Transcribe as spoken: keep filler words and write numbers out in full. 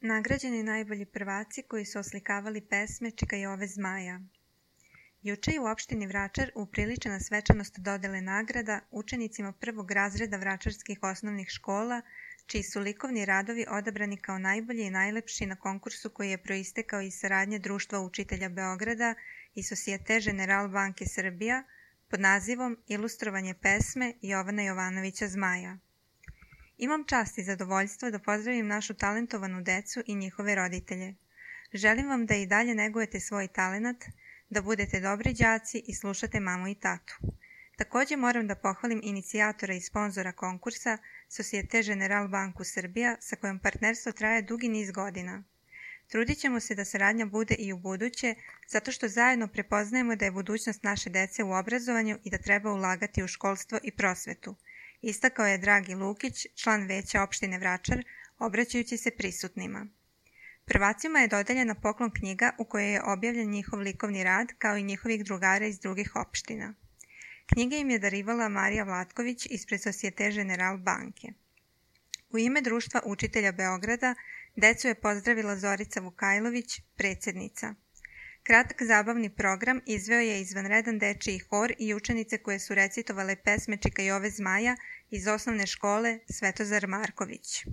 Nagrađeni najbolji prvaci koji su oslikavali pesme Čika Jove zmaja. Juče je u opštini Vračar upriličena svečanost dodele nagrada učenicima prvog razreda vračarskih osnovnih škola, čiji su likovni radovi odabrani kao najbolji i najlepši na konkursu koji je proistekao iz saradnje Društva učitelja Beograda i Societe General banke Srbija pod nazivom Ilustrovanje pesme Jovana Jovanovića Zmaja. Imam čast i zadovoljstvo da pozdravim našu talentovanu decu i njihove roditelje. Želim vam da i dalje negujete svoj talenat, da budete dobri đaci i slušate mamu i tatu. Također moram da pohvalim inicijatora i sponzora konkursa Societe General banku Srbija sa kojom partnerstvo traje dugi niz godina. Trudit ćemo se da saradnja bude i u buduće, zato što zajedno prepoznajemo da je budućnost naše dece u obrazovanju i da treba ulagati u školstvo i prosvetu. Istakao je Dragi Lukić, član veća opštine Vračar, obraćajući se prisutnima. Prvacima je dodeljena poklon knjiga u kojoj je objavljen njihov likovni rad kao i njihovih drugara iz drugih opština. Knjige im je darivala Marija Vlatković ispred Societe General banke. U ime Društva učitelja Beograda decu je pozdravila Zorica Vukajlović, predsjednica. Kratak zabavni program izveo je izvanredan dečiji hor i učenice koje su recitovale pesme Čika Jove zmaja iz osnovne škole Svetozar Marković.